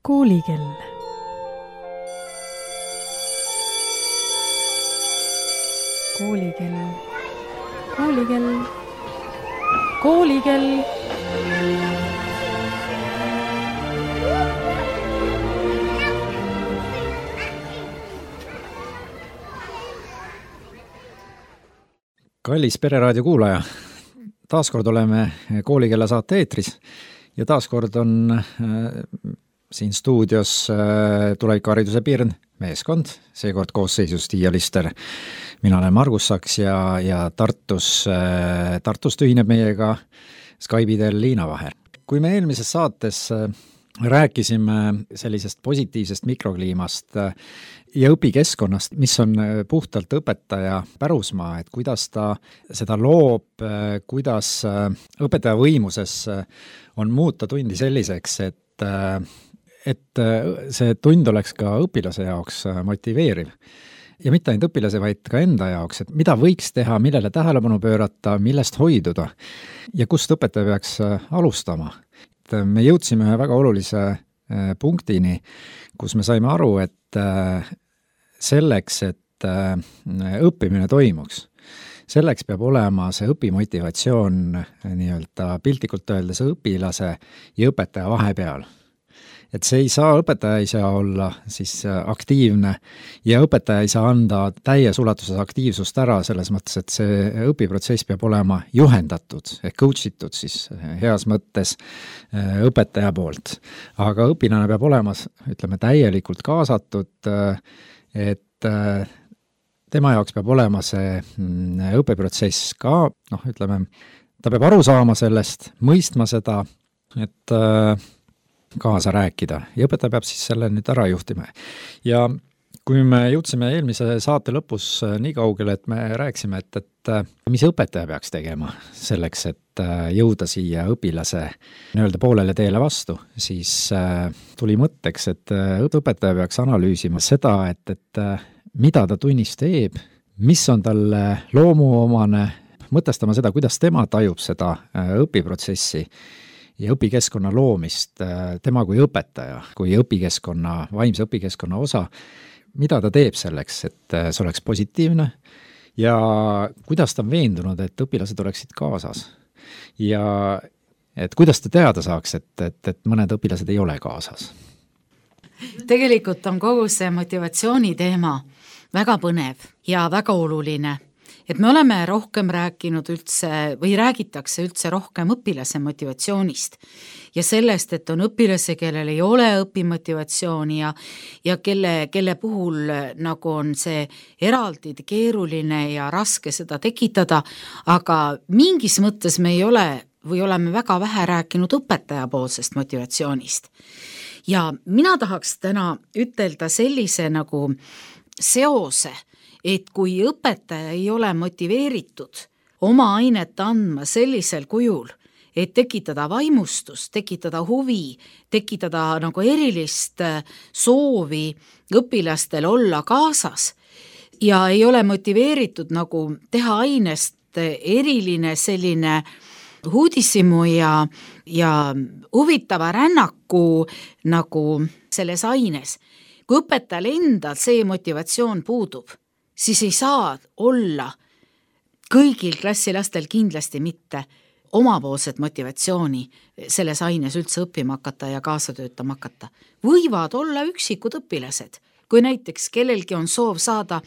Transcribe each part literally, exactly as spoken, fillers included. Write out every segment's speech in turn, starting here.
Koolikell. Koolikell. Koolikell. Koolikell. Kallis Pereraadio kuulaja, taaskord oleme Koolikella saate eetris ja taaskord on äh, siin stuudios äh, tulevikuhariduse Pirn meeskond, seekord koosseisus Tiia Lister. Mina olen Margus Saks ja, ja Tartus, äh, Tartust ühineb meiega Skype'i teel Liina Vaher. Kui me eelmises saates äh, rääkisime sellisest positiivsest mikrokliimast ja õpikeskkonnast, mis on puhtalt õpetaja pärusmaa, et kuidas ta seda loob, kuidas õpetaja võimuses on muuta tundi selliseks, et, et see tund oleks ka õpilase jaoks motiveeriv. Ja mitte ainult õpilase, vaid ka enda jaoks, et mida võiks teha, millele tähelepanu pöörata, millest hoiduda ja kust õpetaja peaks alustama. Me jõudsime ühe väga olulise punktini, kus me saime aru, et selleks, et õppimine toimuks, selleks peab olema see õpimotivatsioon nii-öelda piltlikult öeldes õpilase ja õpetaja vahepeal. Et see ei saa, õpetaja ei saa olla siis aktiivne ja õpetaja ei saa anda täies ulatuses aktiivsust ära selles mõttes, et see õpiprotsess peab olema juhendatud ehk coachitud siis heas mõttes õpetaja poolt. Aga õpilane peab olema, ütleme, täielikult kaasatud, et tema jaoks peab olema see õpiprotsess ka, noh, ütleme, ta peab aru saama sellest, mõistma seda, et kaasa rääkida ja õpetaja peab siis selle nüüd ära juhtima. Ja kui me jõudsime eelmise saate lõpus nii kaugele, et me rääksime, et, et mis õpetaja peaks tegema selleks, et jõuda siia õpilase nii-öelda poolele teele vastu, siis tuli mõtteks, et õpetaja peaks analüüsima seda, et, et mida ta tunnis teeb, mis on talle loomuomane, mõtestama seda, kuidas tema tajub seda õpiprotsessi ja õpikeskkonna loomist, tema kui õpetaja, kui õpikeskkonna, vaimse õpikeskkonna osa, mida ta teeb selleks, et see oleks positiivne ja kuidas ta on veendunud, et õpilased oleksid kaasas. Ja et kuidas ta teada saaks, et, et, et mõned õpilased ei ole kaasas. Tegelikult on kogu see motivatsiooni teema väga põnev ja väga oluline. Et me oleme rohkem rääkinud üldse või räägitakse üldse rohkem õpilase motivatsioonist ja sellest, et on õpilase, kellel ei ole õpimotivatsiooni ja, ja kelle, kelle puhul nagu on see eraldi keeruline ja raske seda tekitada, aga mingis mõttes me ei ole või oleme väga vähe rääkinud õpetaja poolsest motivatsioonist. Ja mina tahaks täna ütelda sellise nagu seose, et kui õpetaja ei ole motiveeritud oma ainet andma sellisel kujul, et tekitada vaimustust, tekitada huvi, tekitada nagu erilist soovi õpilastel olla kaasas ja ei ole motiveeritud nagu teha ainest eriline selline uudishimu ja, ja huvitava rännaku nagu selles aines. Kui õpetajal endal see motivatsioon puudub, siis ei saa olla kõigil klassilastel kindlasti mitte omapoolset motivatsiooni selles aines üldse õppima hakata ja kaasa töötama hakata. Võivad olla üksikud õpilased. Kui näiteks kellelgi on soov saada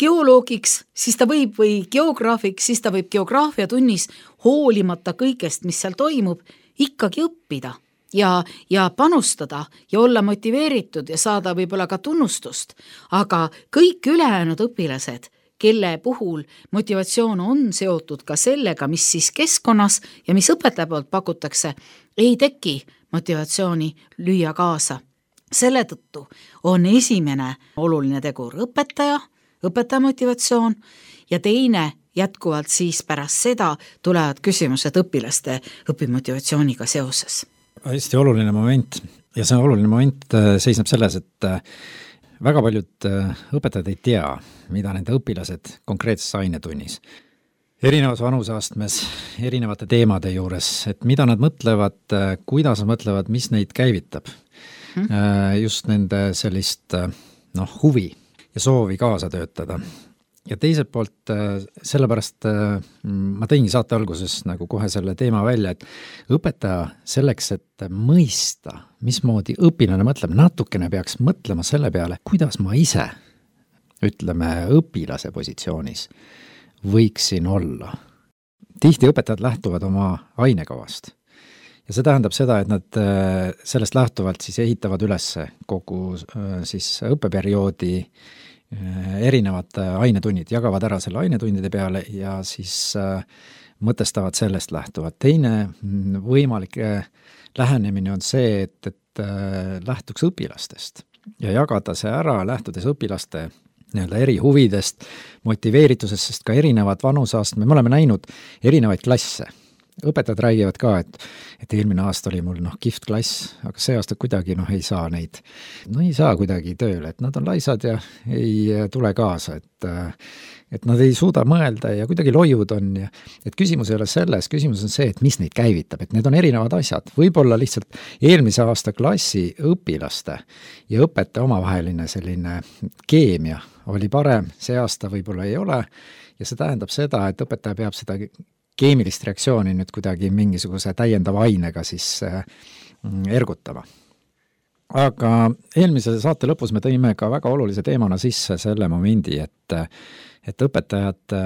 geoloogiks, siis ta võib või geograafiks, siis ta võib geograafia tunnis hoolimata kõigest, mis seal toimub, ikkagi õppida. Ja, ja panustada ja olla motiveeritud ja saada võib-olla ka tunnustust, aga kõik ülejäänud õpilased, kelle puhul motivatsioon on seotud ka sellega, mis siis keskkonnas ja mis õpetaja poolt pakutakse, ei teki motivatsiooni lüüa kaasa. Selle tõttu on esimene oluline tegur õpetaja, õpetaja motivatsioon ja teine jätkuvalt siis pärast seda tulevad küsimused õpilaste õpimotivatsiooniga seoses. Hästi oluline moment ja see oluline moment seisneb selles, et väga paljud õpetajad ei tea, mida nende õpilased konkreetses ainetunnis. Erinevas vanuseastmes, erinevate teemade juures, et mida nad mõtlevad, kuidas nad mõtlevad, mis neid käivitab. mm-hmm. just nende sellist noh, huvi ja soovi kaasa töötada. Ja teiselt poolt sellepärast ma tõingi saate alguses nagu kohe selle teema välja, et õpetaja selleks, et mõista, mismoodi õpilane mõtleb, natukene peaks mõtlema selle peale, kuidas ma ise, ütleme, õpilase positsioonis võiksin olla. Tihti õpetajad lähtuvad oma ainekavast ja see tähendab seda, et nad sellest lähtuvalt siis ehitavad üles kogu siis õppeperioodi erinevad ainetunnid, jagavad ära selle ainetundide peale ja siis mõtestavad sellest lähtuvad. Teine võimalik lähenemine on see, et, et lähtuks õpilastest ja jagada see ära, lähtudes õpilaste nii-öelda eri huvidest, motiveeritusest, sest ka erinevad vanuseastmed, me oleme näinud erinevaid klasse. Õpetajad räägivad ka, et, et eelmine aasta oli mul noh, kihvt klass, aga see aasta kuidagi noh, ei saa neid, no ei saa kuidagi tööle, et nad on laisad ja ei tule kaasa, et, et nad ei suuda mõelda ja kuidagi loiud on ja et küsimus ei ole selles, küsimus on see, et mis neid käivitab, et need on erinevad asjad, võib-olla lihtsalt eelmise aasta klassi õpilaste ja õpetaja omavaheline selline keemia oli parem, see aasta võib-olla ei ole ja see tähendab seda, et õpetaja peab seda keemilist reaktsiooni nüüd kuidagi mingisuguse täiendava ainega siis ergutama. Aga eelmise saate lõpus me tõime ka väga olulise teemana sisse selle momendi, et, et õpetajad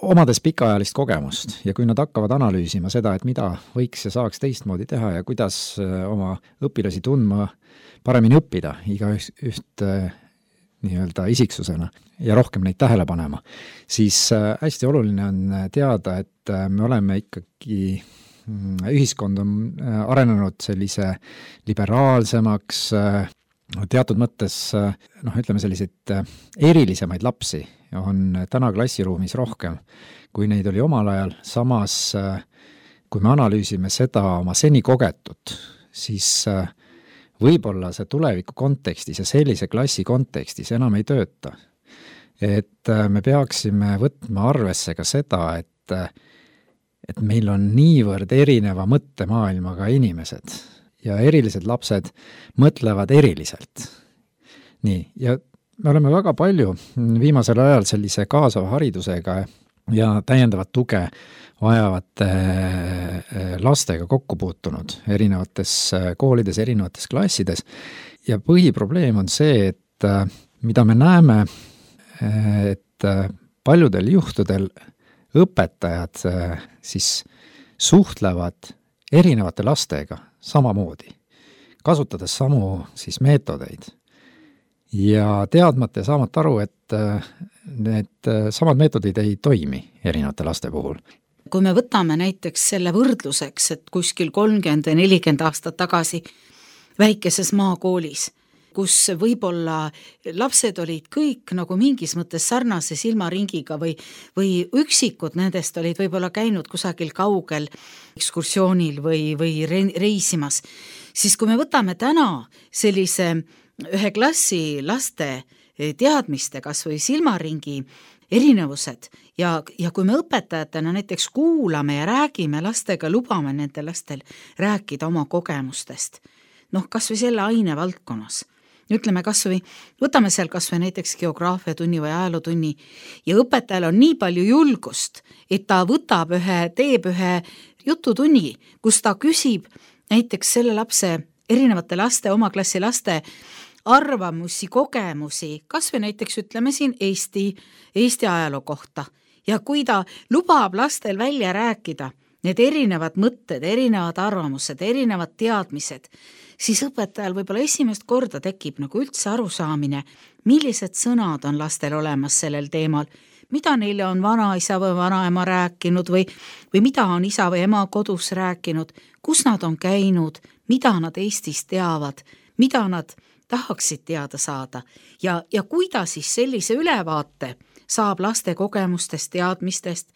omades pikaajalist kogemust ja kui nad hakkavad analüüsima seda, et mida võiks ja saaks teistmoodi teha ja kuidas oma õpilasi tundma, paremini õppida iga üht nii-öelda isiksusena ja rohkem neid tähele panema, siis hästi oluline on teada, et me oleme ikkagi, ühiskond on arenenud sellise liberaalsemaks, teatud mõttes, noh, ütleme selliseid erilisemaid lapsi on täna klassiruumis rohkem, kui neid oli omal ajal, samas kui me analüüsime seda oma seni kogetut, siis võib-olla see tuleviku kontekstis ja sellise klassi kontekstis enam ei tööta. Et me peaksime võtma arvesse ka seda, et, et meil on niivõrd erineva mõttemaailmaga inimesed ja erilised lapsed mõtlevad eriliselt. Nii, ja me oleme väga palju viimasel ajal sellise kaasava haridusega ja täiendavat tuge vajavate lastega kokku puutunud erinevates koolides, erinevates klassides ja põhiprobleem on see, et mida me näeme, et paljudel juhtudel õpetajad siis suhtlevad erinevate lastega samamoodi, kasutades samu siis meetodeid ja teadmata ja saamata aru, et need samad meetodid ei toimi erinevate laste puhul. Kui me võtame näiteks selle võrdluseks, et kuskil kolmkümmend või nelikümmend aastat tagasi väikeses maakoolis, kus võib-olla lapsed olid kõik nagu mingis mõttes sarnase silmaringiga või, või üksikud nendest olid võib-olla käinud kusagil kaugel ekskursioonil või, või reisimas, siis kui me võtame täna sellise ühe klassi laste teadmiste kas või silmaringi erinevused ja, ja kui me õpetajatena näiteks kuulame ja räägime lastega, lubame nende lastel rääkida oma kogemustest, noh kas või selle aine valdkonnas, ütleme kas või, võtame seal kas või näiteks geograafiatunni või ajalootunni ja õpetajal on nii palju julgust, et ta võtab ühe, teeb ühe jututunni, kus ta küsib näiteks selle lapse, erinevate laste, oma klassi laste arvamusi, kogemusi, kas või näiteks ütleme siin Eesti, Eesti ajaloo kohta ja kui ta lubab lastel välja rääkida need erinevad mõtted, erinevad arvamused, erinevad teadmised, siis õpetajal võib-olla esimest korda tekib nagu üldse arusaamine, millised sõnad on lastel olemas sellel teemal, mida neile on vanaisa või vanaema rääkinud või, või mida on isa või ema kodus rääkinud, kus nad on käinud, mida nad Eestis teavad, mida nad tahaksid teada saada ja, ja kuidas siis sellise ülevaate saab laste kogemustest, teadmistest,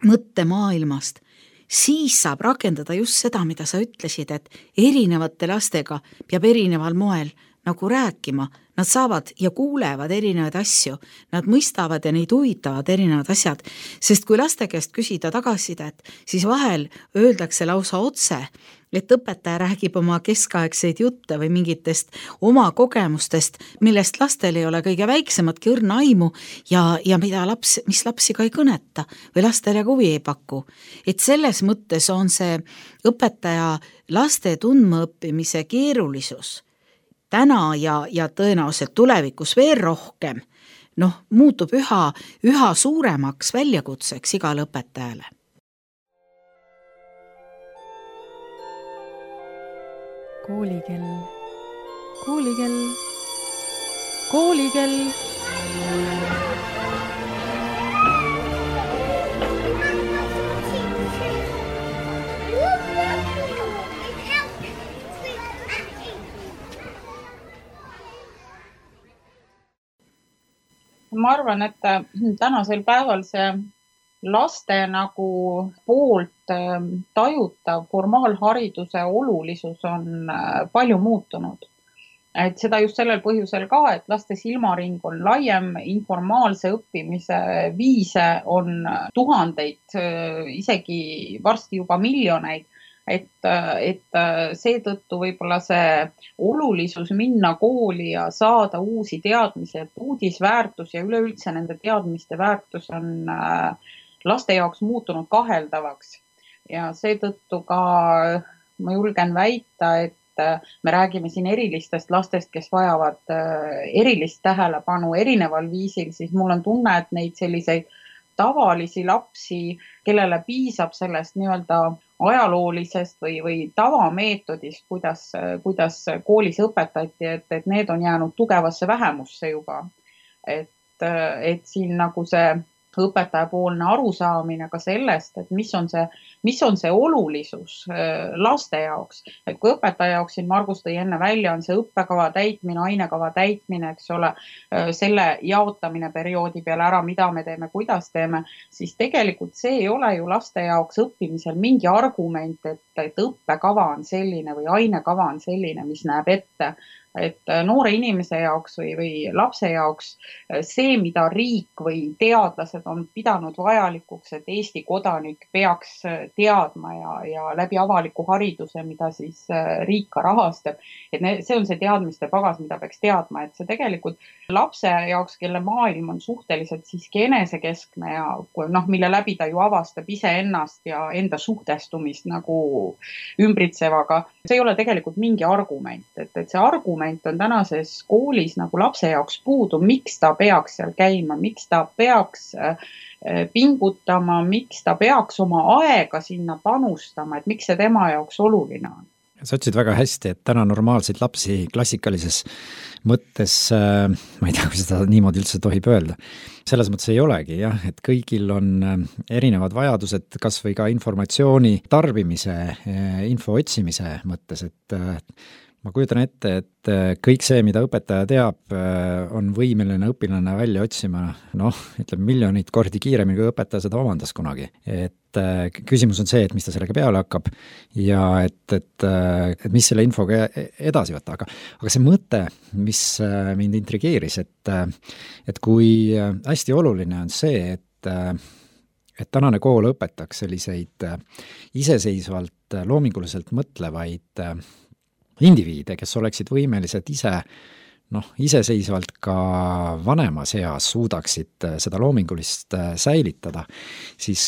mõttemaailmast, siis saab rakendada just seda, mida sa ütlesid, et erinevate lastega peab erineval moel nagu rääkima, nad saavad ja kuulevad erinevaid asju, nad mõistavad ja neid huvitavad erinevad asjad, sest kui laste käest küsida tagasisidet, siis vahel öeldakse lausa otse, et õpetaja räägib oma keskaegseid jutte või mingitest oma kogemustest, millest lastel ei ole kõige väiksematki õrna aimu ja, ja mida laps, mis lapsi ka ei kõneta või lastele ka huvi ei paku. Et selles mõttes on see õpetaja laste tundmaõppimise keerulisus täna ja, ja tõenäoliselt tulevikus veel rohkem, noh, muutub üha, üha suuremaks väljakutseks igale õpetajale. Koolikell, koolikell, koolikell. Ma arvan, et tänasel päeval see laste nagu poolt tajutav formaalhariduse olulisus on palju muutunud. Et seda just sellel põhjusel ka, et laste silmaring on laiem, informaalse õppimise viise on tuhandeid, isegi varsti juba miljoneid. Et, et seetõttu võib-olla see olulisus minna kooli ja saada uusi teadmisi, et uudisväärtus ja üleüldse nende teadmiste väärtus on laste jaoks muutunud kaheldavaks. Ja seetõttu ka ma julgen väita, et me räägime siin erilistest lastest, kes vajavad erilist tähelepanu erineval viisil, siis mul on tunne, et neid selliseid tavalisi lapsi, kellele piisab sellest nii-öelda ajaloolisest või, või tavameetodist, kuidas, kuidas koolis õpetati, et, et need on jäänud tugevasse vähemusse juba. Et, et siin nagu see õpetajapoolne arusaamine ka sellest, et mis on see, mis on see olulisus laste jaoks. Et kui õpetaja jaoks siin Margus tõi enne välja, on see õppekava täitmine, ainekava täitmine, eks ole, selle jaotamine perioodi peale ära, mida me teeme, kuidas teeme, siis tegelikult see ei ole ju laste jaoks õppimisel mingi argument, et, et õppekava on selline või ainekava on selline, mis näeb ette. Et noore inimese jaoks või, või lapse jaoks see, mida riik või teadlased on pidanud vajalikuks, et Eesti kodanik peaks teadma ja, ja läbi avaliku hariduse, mida siis riik ka rahastab, et ne, see on see teadmiste pagas, mida peaks teadma, et see tegelikult lapse jaoks, kelle maailm on suhteliselt siiski enesekeskne ja noh, mille läbi ta ju avastab iseennast ja enda suhtestumist nagu ümbritsevaga, see ei ole tegelikult mingi argument, et, et see argument on tänases koolis nagu lapse jaoks puudu, miks ta peaks seal käima, miks ta peaks pingutama, miks ta peaks oma aega sinna panustama, et miks see tema jaoks oluline on. Sa ütlesid väga hästi, et täna normaalseid lapsi klassikalises mõttes, ma ei tea, kui seda niimoodi üldse tohib öelda, selles mõttes ei olegi, jah, et kõigil on erinevad vajadused, kas või ka informatsiooni tarbimise, info otsimise mõttes, et ma kujutan ette, et kõik see, mida õpetaja teab, on võimeline õpilane välja otsima, noh, ütleme miljonid kordi kiiremini, kui õpetaja seda omandas kunagi. Et küsimus on see, et mis ta sellega peale hakkab ja et, et, et mis selle infoga edasi võtta. Aga, aga see mõte, mis mind intrigeeris, et, et kui hästi oluline on see, et, et tänane kool õpetaks selliseid iseseisvalt, loominguliselt mõtlevaid indiviide, kes oleksid võimelised ise, noh, iseseisvalt ka vanemas eas suudaksid seda loomingulist säilitada, siis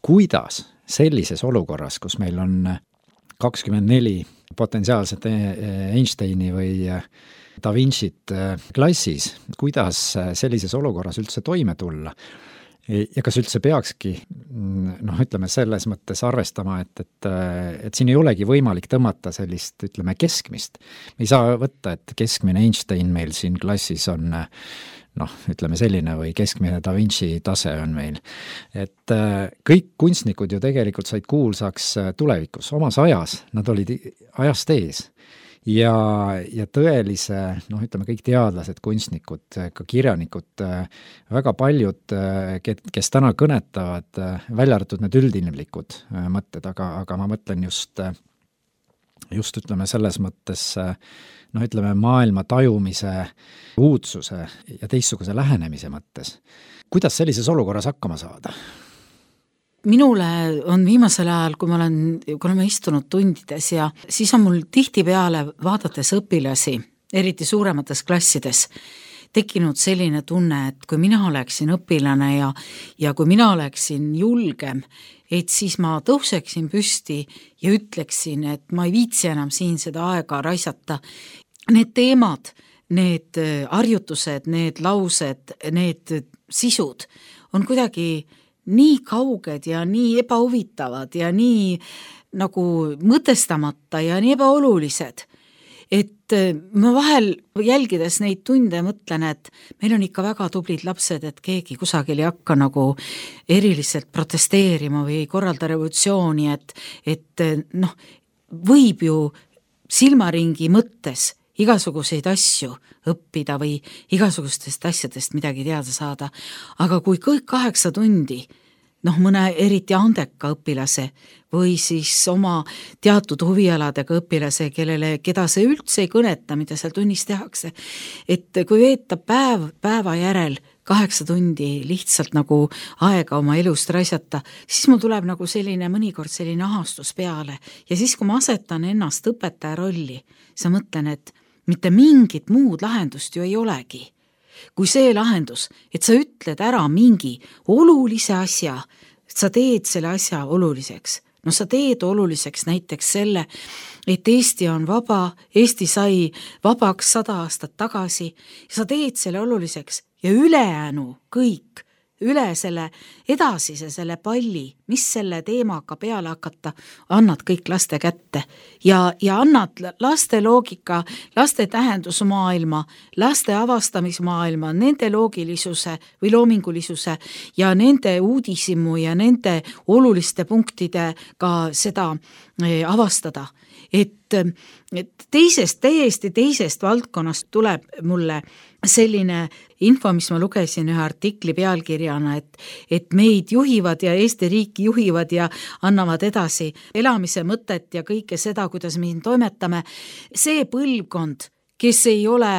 kuidas sellises olukorras, kus meil on kakskümmend neli potentsiaalset Einsteini või Da Vincit klassis, kuidas sellises olukorras üldse toime tulla? Ja kas üldse peakski, noh, ütleme selles mõttes arvestama, et, et, et siin ei olegi võimalik tõmmata sellist, ütleme, keskmist. Me ei saa võtta, et keskmine Einstein meil siin klassis on, noh, ütleme selline või keskmine Da Vinci tase on meil. Et kõik kunstnikud ju tegelikult said kuulsaks tulevikus, omas ajas, nad olid ajast ees. Ja, ja tõelise, noh, ütleme kõik teadlased, kunstnikud, ka kirjanikud, väga paljud, kes täna kõnetavad, välja arvatud need üldinimlikud mõtted, aga, aga ma mõtlen just, just ütleme selles mõttes noh, ütleme maailma tajumise, uudsuse ja teistsuguse lähenemise mõttes. Kuidas sellises olukorras hakkama saada? Minule on viimasel ajal, kui ma olen, kui oleme istunud tundides ja siis on mul tihtipeale vaadates õpilasi, eriti suuremates klassides, tekkinud selline tunne, et kui mina oleksin õpilane ja, ja kui mina oleksin julgem, et siis ma tõuseksin püsti ja ütleksin, et ma ei viitsi enam siin seda aega raisata. Need teemad, need harjutused, need laused, need sisud on kuidagi nii kauged ja nii ebahuvitavad ja nii nagu mõtestamata ja nii ebaolulised, et ma vahel jälgides neid tunde mõtlen, et meil on ikka väga tublid lapsed, et keegi kusagil ei hakka nagu eriliselt protesteerima või ei korralda revolutsiooni, et, et noh, võib ju silmaringi mõttes igasuguseid asju õppida või igasugustest asjadest midagi teada saada, aga kui kõik kaheksa tundi, noh mõne eriti andeka õpilase või siis oma teatud huvialadega õpilase, kellele, keda see üldse ei kõneta, mida seal tunnis tehakse, et kui veetab päev, päeva järel kaheksa tundi lihtsalt nagu aega oma elust raisata, siis mul tuleb nagu selline mõnikord selline ahastus peale ja siis, kui ma asetan ennast õpetaja rolli, siis ma mõtlen, et mitte mingit muud lahendust ju ei olegi. Kui see lahendus, et sa ütled ära mingi olulise asja, sa teed selle asja oluliseks. No sa teed oluliseks näiteks selle, et Eesti on vaba, Eesti sai vabaks sada aastat tagasi ja sa teed selle oluliseks ja ülejäänu kõik, üle selle edasise selle palli, mis selle teemaga peale hakata, annad kõik laste kätte ja, ja annad laste loogika, laste tähendusmaailma, laste avastamismaailma, nende loogilisuse või loomingulisuse ja nende uudisimu ja nende oluliste punktidega seda avastada. Et, et teisest, täiesti teisest valdkonnast tuleb mulle selline info, mis ma lugesin ühe artikli pealkirjana, et, et meid juhivad ja Eesti riiki juhivad ja annavad edasi elamise mõtet ja kõike seda, kuidas me siin toimetame. See põlvkond, kes ei ole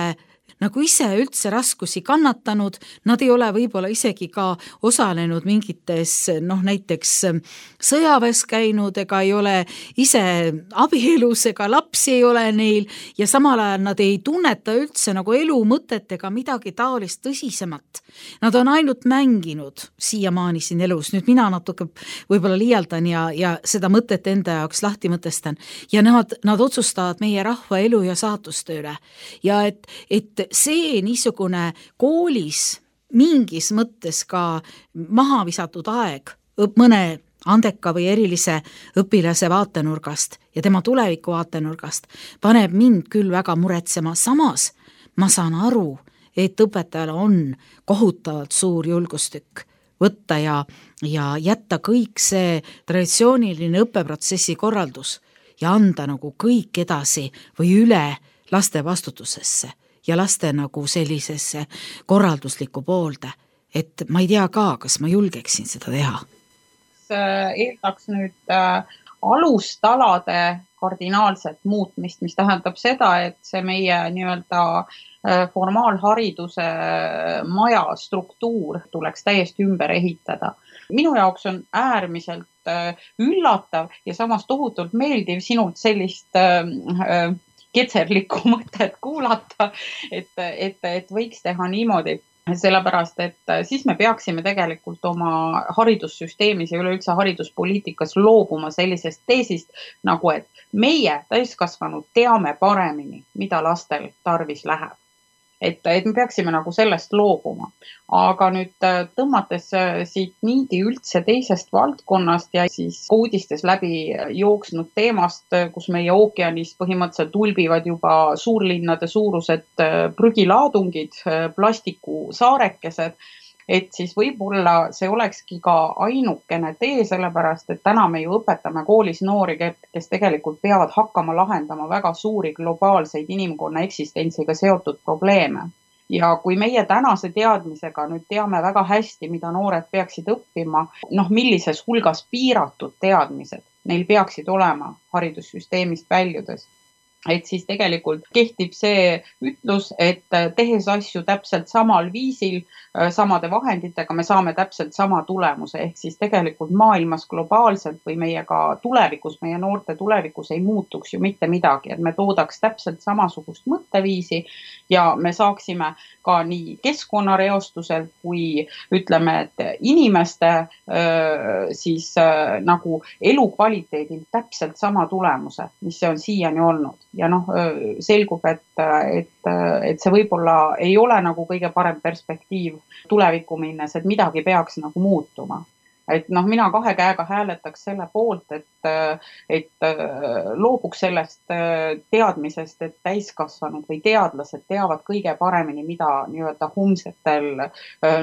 nagu ise üldse raskusi kannatanud, nad ei ole võib-olla isegi ka osalenud mingites, noh näiteks sõjaväes käinud ega ei ole ise abielus ega lapsi ei ole neil ja samal ajal nad ei tunneta üldse nagu elu mõtet ega midagi taolist tõsisemat. Nad on ainult mänginud siiamaani siin elus, nüüd mina natuke võib-olla liialdan ja, ja seda mõtet enda jaoks lahti mõtestan ja nad, nad otsustavad meie rahva elu ja saatustööle ja et, et see niisugune koolis mingis mõttes ka maha visatud aeg mõne andeka või erilise õpilase vaatenurgast ja tema tuleviku vaatenurgast paneb mind küll väga muretsema. Samas ma saan aru, et õpetajal on kohutavalt suur julgustükk võtta ja, ja jätta kõik see traditsiooniline õppeprotsessi korraldus ja anda nagu kõik edasi või üle laste vastutusesse ja laste nagu sellisesse korralduslikku poolde, et ma ei tea ka, kas ma julgeksin seda teha. Eeldaks nüüd äh, alustalade kardinaalset muutmist, mis tähendab seda, et see meie nii-öelda äh, formaalhariduse maja struktuur tuleks täiesti ümber ehitada. Minu jaoks on äärmiselt äh, üllatav ja samas tohutult meeldiv sinult sellist äh, äh, ketserlikku mõtet kuulata, et, et, et võiks teha niimoodi, sellepärast, et siis me peaksime tegelikult oma haridussüsteemis ja üleüldse hariduspoliitikas loobuma sellisest teesist, nagu et meie täiskasvanud teame paremini, mida lastel tarvis läheb. Et, et me peaksime nagu sellest loobuma. Aga nüüd tõmmates siit niidi üldse teisest valdkonnast ja siis uudistes läbi jooksnud teemast, kus meie ookeanis põhimõtteliselt tulbivad juba suurlinnade suurused prügilaadungid, plastikusaarekesed, et siis võib-olla see olekski ka ainukene tee, sellepärast, et täna me ju õpetame koolis noori, kes tegelikult peavad hakkama lahendama väga suuri globaalseid inimkonna eksistentsiga seotud probleeme. Ja kui meie tänase teadmisega nüüd teame väga hästi, mida noored peaksid õppima, noh millises hulgas piiratud teadmised neil peaksid olema haridussüsteemist väljudes, et siis tegelikult kehtib see ütlus, et tehes asju täpselt samal viisil, samade vahenditega, me saame täpselt sama tulemuse, ehk siis tegelikult maailmas globaalselt või meie ka tulevikus, meie noorte tulevikus ei muutuks ju mitte midagi, et me toodaks täpselt samasugust mõtteviisi ja me saaksime ka nii keskkonnareostuselt kui ütleme, et inimeste siis nagu elukvaliteedil täpselt sama tulemuse, mis see on siiani olnud. Ja noh, selgub, et, et, et see võib-olla ei ole nagu kõige parem perspektiiv tulevikku minnes, et midagi peaks nagu muutuma. Et noh, mina kahe käega hääletaks selle poolt, et, et loobuks sellest teadmisest, et täiskasvanud või teadlased teavad kõige paremini, mida nii-öelda homsetel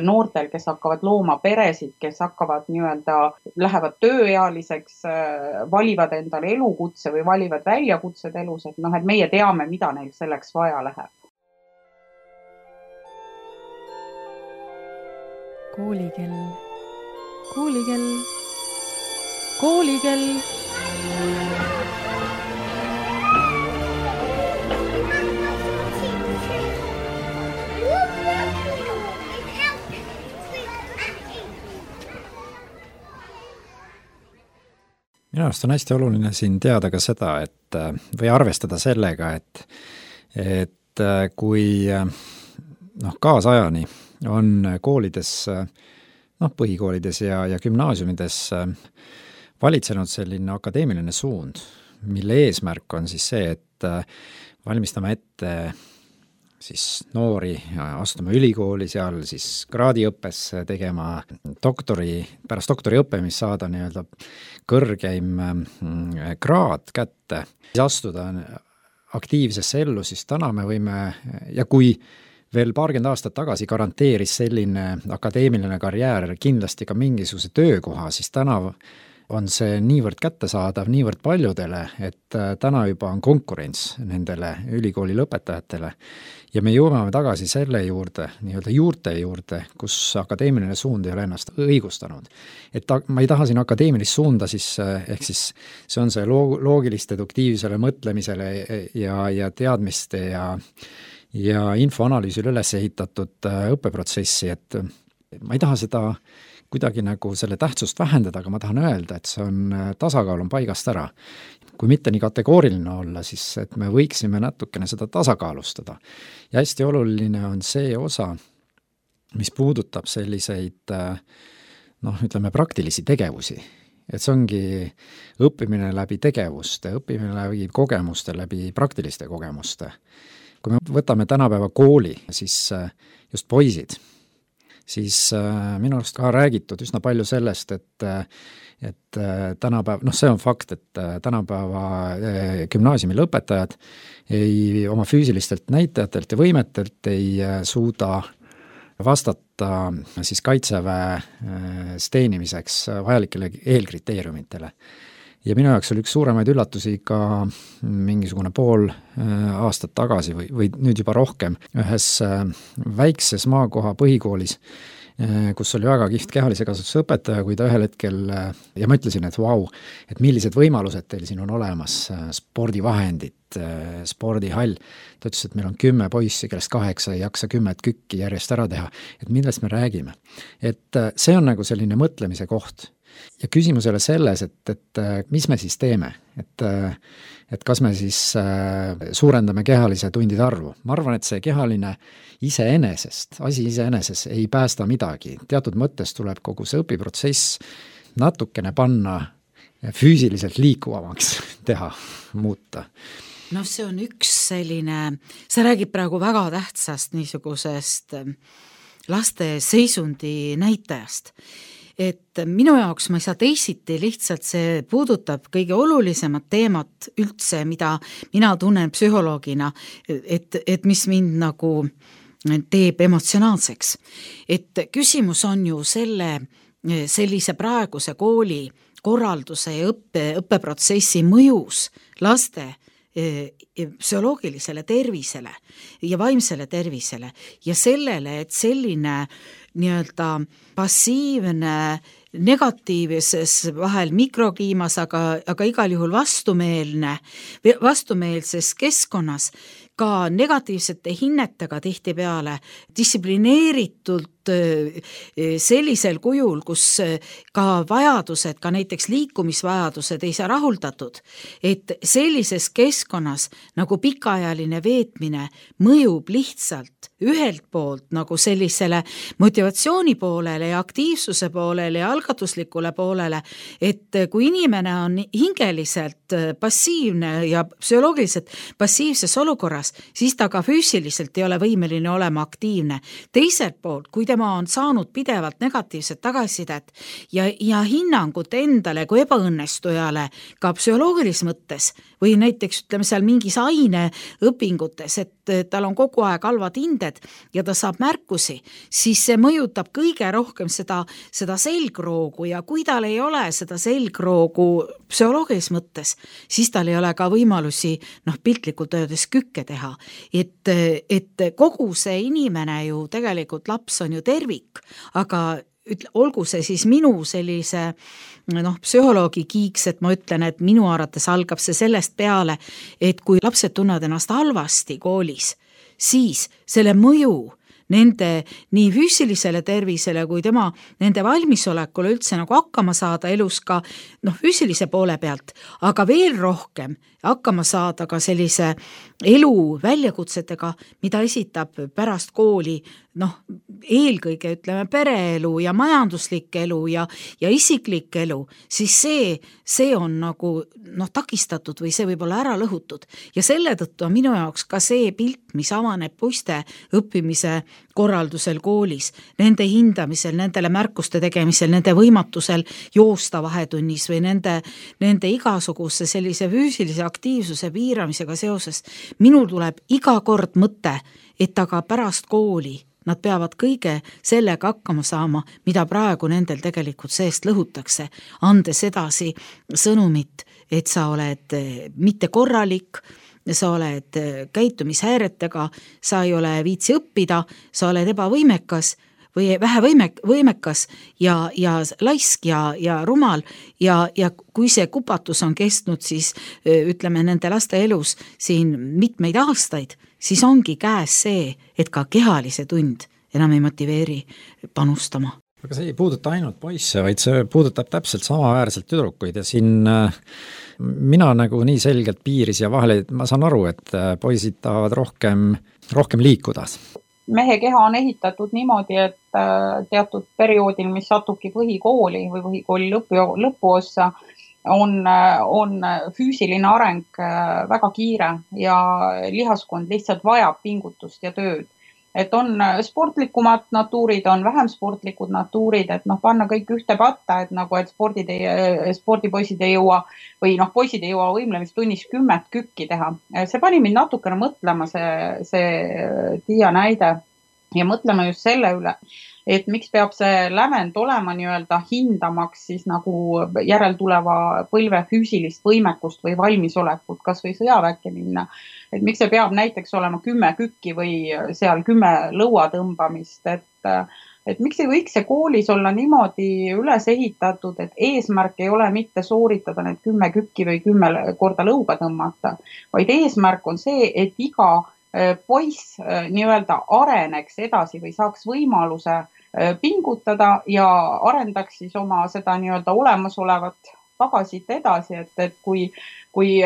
noortel, kes hakkavad looma peresid, kes hakkavad nii-öelda, lähevad tööealiseks, valivad endale elukutse või valivad väljakutsed elus, et noh, et meie teame, mida neil selleks vaja läheb. Koolikell. Koolikell, koolikell. Minu arust on hästi oluline siin teada ka seda, et või arvestada sellega, et, et kui noh, kaasajani on koolides noh, põhikoolides ja, ja gümnaasiumides valitsenud selline akadeemiline suund, mille eesmärk on siis see, et valmistame ette siis noori astuma ülikooli, seal siis kraadiõppes tegema doktori, pärast doktoriõppe, mis saada nii-öelda kõrgeim kraad kätte, siis astuda aktiivsesse ellu, siis täna me võime, ja kui veel paarkümmend aastat tagasi garanteeris selline akadeemiline karjäär kindlasti ka mingisuguse töökoha, siis täna on see niivõrd kättesaadav niivõrd paljudele, et täna juba on konkurents nendele ülikooli lõpetajatele. Ja me jõuame tagasi selle juurde, nii-öelda juurte juurde, kus akadeemiline suund ei ole ennast õigustanud. Et ta, ma ei taha siin akadeemilist suunda, siis, ehk siis see on see loogilist deduktiivsele mõtlemisele ja, ja teadmiste ja ja infoanalüüsil üles ehitatud õppeprotsessi, et ma ei taha seda kuidagi nagu selle tähtsust vähendada, aga ma tahan öelda, et see on, tasakaal on paigast ära. Kui mitte nii kategooriline olla, siis et me võiksime natukene seda tasakaalustada. Ja hästi oluline on see osa, mis puudutab selliseid noh, ütleme praktilisi tegevusi. Et see ongi õppimine läbi tegevuste, õppimine läbi kogemuste, läbi praktiliste kogemuste. Kui me võtame tänapäeva kooli, siis just poisid, siis minu arust ka räägitud üsna palju sellest, et, et tänapäev, noh see on fakt, et tänapäeva gümnaasiumi lõpetajad ei, oma füüsilistelt näitajatelt ja võimetelt ei suuda vastata siis kaitseväe steenimiseks vajalikele eelkriteeriumitele. Ja minu jaoks oli üks suuremaid üllatusi ka mingisugune pool aastat tagasi või, või nüüd juba rohkem ühes väikses maakoha põhikoolis, kus oli väga kihvt kehalise kasvatuse õpetaja, kui ta ühel hetkel, ja ma ütlesin, et vau, et millised võimalused teil siin on olemas, spordivahendid, spordihall. Ta ütles, et meil on kümme poissi, kellest kaheksa ei jaksa kümmet kükki järjest ära teha, et millest me räägime. Et see on nagu selline mõtlemise koht. Ja küsimus ei ole selles, et, et mis me siis teeme, et, et kas me siis suurendame kehalise tundide arvu. Ma arvan, et see kehaline iseenesest, asi iseeneses ei päästa midagi. Teatud mõttes tuleb kogu see õpiprotsess natukene panna füüsiliselt liikuvamaks teha, muuta. No see on üks selline, see räägib praegu väga tähtsast niisugusest laste seisundi näitajast. Et minu jaoks ma ei saa teisiti, lihtsalt see puudutab kõige olulisemat teemat üldse, mida mina tunnen psühholoogina, et, et mis mind nagu teeb emotsionaalseks. Et küsimus on ju selle, sellise praeguse kooli korralduse ja õppe, õppeprotsessi mõjus laste psühholoogilisele tervisele ja vaimsele tervisele ja sellele, et selline nii-öelda passiivne negatiivses vahel mikrokliimas, aga, aga igal juhul vastumeelne, vastumeelses keskkonnas, ka negatiivsete hinnetega tihtipeale, distsiplineeritult sellisel kujul, kus ka vajadused, ka näiteks liikumisvajadused ei saa rahuldatud, et sellises keskkonnas nagu pikaajaline veetmine mõjub lihtsalt ühelt poolt nagu sellisele motivatsiooni poolele ja aktiivsuse poolele ja algatuslikule poolele, et kui inimene on hingeliselt passiivne ja psühholoogiliselt passiivses olukorras, siis ta ka füüsiliselt ei ole võimeline olema aktiivne. Teiselt poolt, kui tema on saanud pidevalt negatiivset tagasisidet ja, ja hinnangut endale kui ebaõnnestujale ka psühholoogilises mõttes või näiteks ütleme seal mingis aineõpingutes, et tal on kogu aeg halvad hinded ja ta saab märkusi, siis see mõjutab kõige rohkem seda, seda selgroogu ja kui tal ei ole seda selgroogu psühholoogilises mõttes, siis tal ei ole ka võimalusi noh, piltlikult öeldes kükke teha. Et, et kogu see inimene ju tegelikult laps on ju tervik, aga ütle, olgu see siis minu sellise noh, psühholoogi kiiks, et ma ütlen, et minu arvates algab see sellest peale, et kui lapsed tunnevad ennast halvasti koolis, siis selle mõju nende nii füüsilisele tervisele kui tema nende valmisolekule üldse nagu hakkama saada elus ka noh, füüsilise poole pealt, aga veel rohkem hakkama saada ka sellise elu väljakutsetega, mida esitab pärast kooli noh, eelkõige ütleme pereelu ja majanduslik elu ja, ja isiklik elu, siis see, see on nagu noh, takistatud või see võib olla ära lõhutud. Ja selle tõttu on minu jaoks ka see pilt, mis avaneb poiste õppimise korraldusel koolis, nende hindamisel, nendele märkuste tegemisel, nende võimatusel joosta vahetunnis või nende, nende igasuguse sellise füüsilise aktiivsuse piiramisega seoses. Minul tuleb iga kord mõte, et aga pärast kooli nad peavad kõige sellega hakkama saama, mida praegu nendel tegelikult seest lõhutakse, andes edasi sõnumit, et sa oled mitte korralik, sa oled käitumishäiretega, sa ei ole viitsi õppida, sa oled ebavõimekas või vähe võimek, võimekas ja, ja laisk ja, ja rumal ja, ja kui see kupatus on kestnud, siis ütleme nende laste elus siin mitmeid aastaid, siis ongi käes see, et ka kehalise tund enam ei motiveeri panustama. Aga see ei puuduta ainult poisse, vaid see puudutab täpselt samaväärselt tüdrukuid ja siin mina nagu nii selgelt piiris ja vahele, ma saan aru, et poisid tahavad rohkem, rohkem liikuda. Mehe keha on ehitatud niimoodi, et teatud perioodil, mis satubki põhikooli või põhikooli lõpu, lõpuossa, on, on füüsiline areng väga kiire ja lihaskond lihtsalt vajab pingutust ja tööd. Et on sportlikumad natuurid, on vähem sportlikud natuurid, et noh, panna kõik ühte patta, et nagu, et spordid ei, spordipoisid ei jõua või noh, poisid ei jõua võimlemistunnis kümmet kükki teha. See pani mind natukene mõtlema see, see Tiia näide ja mõtlema just selle üle, et miks peab see lävend olema nii-öelda hindamaks siis nagu järeltuleva põlve füüsilist võimekust või valmisolekut, kas või sõjaväkke minna. Et miks see peab näiteks olema kümme kükki või seal kümme lõua tõmbamist, et, et miks ei võiks see koolis olla niimoodi üles ehitatud, et eesmärk ei ole mitte sooritada need kümme kükki või kümme korda lõuga tõmmata, vaid eesmärk on see, et iga poiss nii-öelda areneks edasi või saaks võimaluse pingutada ja arendaks siis oma seda nii-öelda olemasolevat pagasit edasi, et, et kui, kui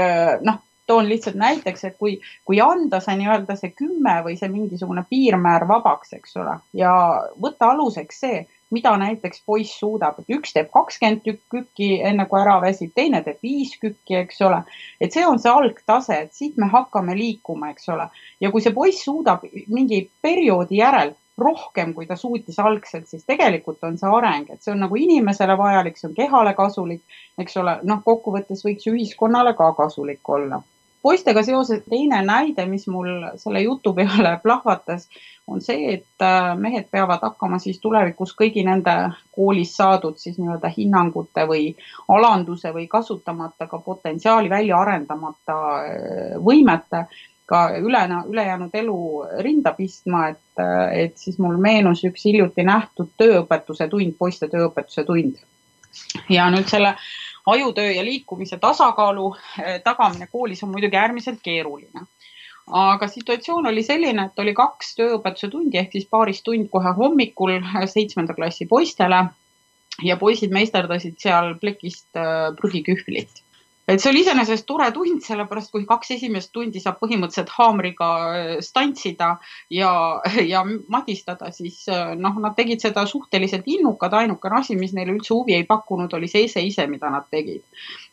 noh, toon lihtsalt näiteks, et kui, kui anda see nii-öelda see kümme või see mingisugune piirmäär vabaks, eks ole, ja võtta aluseks see, mida näiteks poiss suudab, et üks teeb kakskümmend kükki enne kui ära väsib, teine teeb viis kükki, eks ole, et see on see algtase, et siit me hakkame liikuma, eks ole, ja kui see poiss suudab mingi perioodi järel rohkem, kui ta suutis algselt, siis tegelikult on see areng, et see on nagu inimesele vajalik, see on kehale kasulik, eks ole, noh, kokkuvõttes võiks ühiskonnale ka kasulik olla. Poistega seoses teine näide, mis mul selle jutu peale plahvatas, on see, et mehed peavad hakkama siis tulevikus kõigi nende koolis saadud siis nii-öelda hinnangute või alanduse või kasutamata ka potentsiaali välja arendamata võimete ka üle, ülejäänud elu rinda pistma, et, et siis mul meenus üks hiljuti nähtud tööõpetuse tund, poiste tööõpetuse tund. Ja nüüd selle ajutöö ja liikumise tasakaalu tagamine koolis on muidugi äärmiselt keeruline. Aga situatsioon oli selline, et oli kaks tööõpetuse tundi, ehk siis paaris tund kohe hommikul seitsmenda klassi poistele ja poisid meisterdasid seal plekist prügikühvlit. Et see oli iseenesest tore tund, sellepärast kui kaks esimest tundi saab põhimõtteliselt haamriga stantsida ja, ja madistada, siis noh, nad tegid seda suhteliselt innukad, ainukene asi, mis neile üldse huvi ei pakkunud, oli see ise ise, mida nad tegid.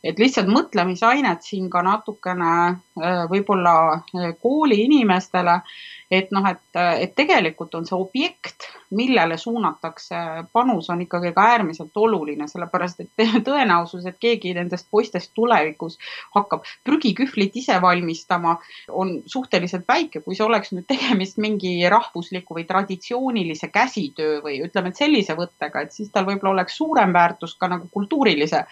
Et lihtsalt mõtlemisainet siin ka natukene võib-olla kooli inimestele, et noh, et, et tegelikult on see objekt, millele suunatakse panus, on ikkagi ka äärmiselt oluline, sellepärast et tõenäosus, et keegi nendest poistest tulevikus hakkab prügikühvlit ise valmistama, on suhteliselt väike, kui see oleks nüüd tegemist mingi rahvusliku või traditsioonilise käsitöö või ütleme, et sellise võttega, et siis tal võib-olla oleks suurem väärtus ka nagu kultuurilise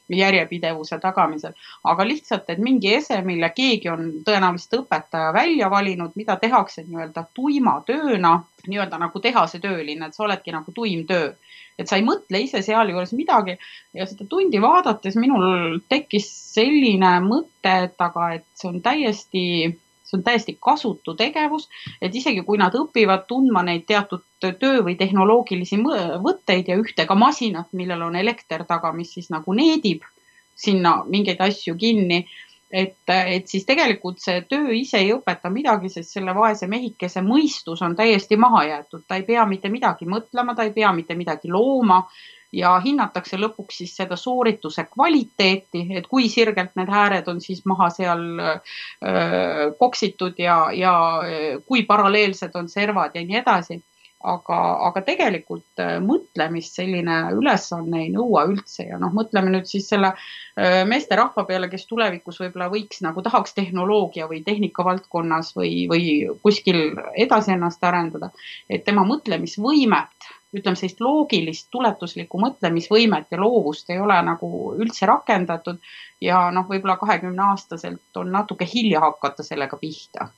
järjepidevuse tagamisel, aga lihtsalt, et mingi ese, mille keegi on tõenäoliselt õpetaja välja valinud, mida tehakse nii-öelda tuima tööna, nii-öelda nagu tehase tööline, et sa oledki nagu tuim töö. Et sa ei mõtle ise seal juures midagi ja seda tundi vaadates minul tekkis selline mõte, et aga et see on täiesti, see on täiesti kasutu tegevus, et isegi kui nad õpivad tundma neid teatud töö või tehnoloogilisi võtteid ja ühte ka masinat, millel on elekter taga, mis siis nagu needib sinna mingeid asju kinni, et, et siis tegelikult see töö ise ei õpeta midagi, sest selle vaese mehikese mõistus on täiesti maha jäetud. Ta ei pea mitte midagi mõtlema, ta ei pea mitte midagi looma ja hinnatakse lõpuks siis seda soorituse kvaliteeti, et kui sirgelt need hääred on siis maha seal öö, koksitud ja, ja kui paralleelsed on servad ja nii edasi. Aga, aga tegelikult mõtlemist selline ülesanne ei nõua üldse ja noh, mõtleme nüüd siis selle meeste rahva peale, kes tulevikus võib-olla võiks nagu tahaks tehnoloogia või tehnika valdkonnas või, või kuskil edasi ennast arendada, et tema mõtlemisvõimet, ütleme sellist loogilist, tuletuslikku mõtlemisvõimet ja loovust ei ole nagu üldse rakendatud ja noh, võib-olla kahekümne aastaselt on natuke hilja hakata sellega pihta.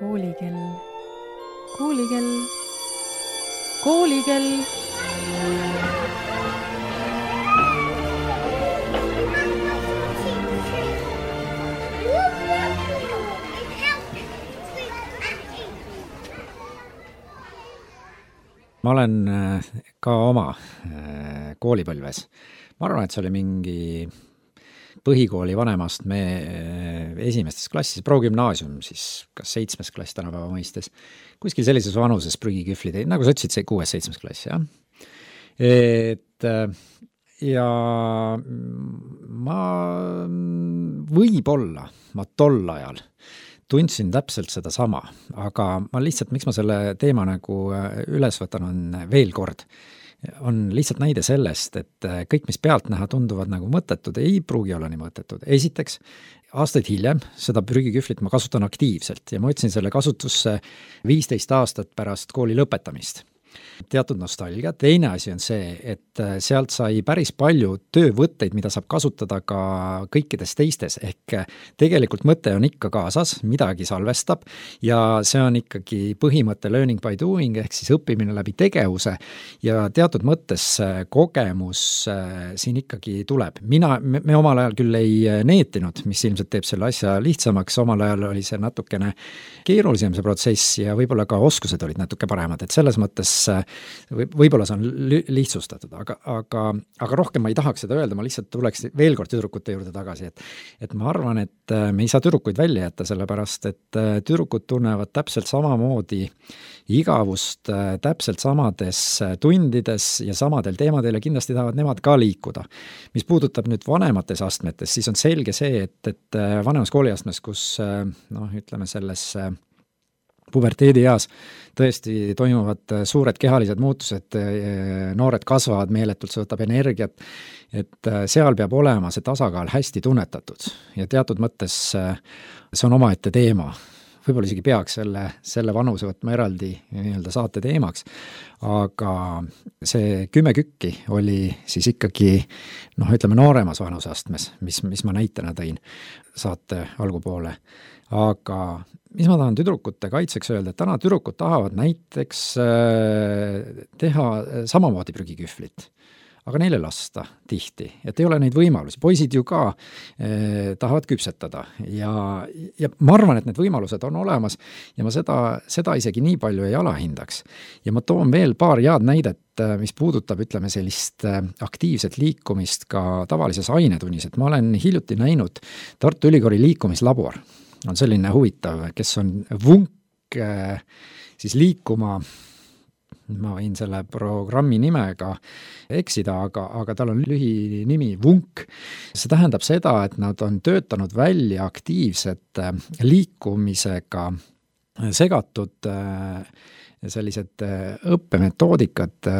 Koolikell, koolikell, koolikell. Ma olen ka oma koolipõlves. Ma arvan, et see oli mingi põhikooli vanemast me esimestes klassis, progümnaasium siis, kas seitsmes klass tänapäeva mõistes, kuskil sellises vanuses prügikühvlid, nagu sa ütlesid, see kuues-seitsmes klass, jah. Et ja ma võib-olla, ma tol ajal tundsin täpselt seda sama, aga ma lihtsalt, miks ma selle teema nagu üles võtan, on veel kord, on lihtsalt näide sellest, et kõik, mis pealt näha tunduvad nagu mõttetud, ei pruugi olla nii mõttetud. Esiteks, aastaid hiljem seda prügikühvlit ma kasutan aktiivselt ja ma võtsin selle kasutusse viisteist aastat pärast kooli lõpetamist. Teatud nostalgia. Teine asi on see, et sealt sai päris palju töövõtteid, mida saab kasutada ka kõikides teistes, ehk tegelikult mõte on ikka kaasas, midagi salvestab ja see on ikkagi põhimõte learning by doing, ehk siis õppimine läbi tegevuse ja teatud mõttes kogemus siin ikkagi tuleb. Mina, me, me omal ajal küll ei neetinud, mis ilmselt teeb selle asja lihtsamaks, omal ajal oli see natukene keerulisem see protsess ja võib-olla ka oskused olid natuke paremad, et selles mõttes võib-olla see on lihtsustatud, aga, aga, aga rohkem ma ei tahaks seda öelda, ma lihtsalt tuleks veel kord tüdrukute juurde tagasi, et, et ma arvan, et me ei saa tüdrukuid välja jätta, sellepärast, et tüdrukud tunnevad täpselt samamoodi igavust täpselt samades tundides ja samadel teemadel ja kindlasti tahavad nemad ka liikuda. Mis puudutab nüüd vanemates astmetes, siis on selge see, et, et vanemas kooliastmes, kus noh, ütleme selles puberteedi eas tõesti toimuvad suured kehalised muutused, noored kasvavad meeletult, see võtab energiat, et seal peab olema see tasakaal hästi tunnetatud ja teatud mõttes see on omaette teema, võib-olla isegi peaks selle, selle vanuse võtma eraldi nii-öelda saate teemaks, aga see kümme kükki oli siis ikkagi noh, ütleme nooremas vanuseastmes, mis, mis ma näitena tõin saate algupoole. Aga mis ma tahan tüdrukute kaitseks öelda, et täna tüdrukud tahavad näiteks teha samamoodi prügikühvlit, aga neile lasta tihti, et ei ole neid võimalusi. Poisid ju ka eh, tahavad küpsetada ja, ja ma arvan, et need võimalused on olemas ja ma seda, seda isegi nii palju ei alahindaks. Ja ma toon veel paar head näidet, mis puudutab, ütleme, sellist aktiivset liikumist ka tavalises ainetunnis, et ma olen hiljuti näinud Tartu Ülikooli liikumislabor. On selline huvitav, kes on vunk eh, siis liikuma, ma võin selle programmi nimega eksida, aga, aga tal on lühi nimi vunk. See tähendab seda, et nad on töötanud välja aktiivset liikumisega segatud sellised õppemetoodikad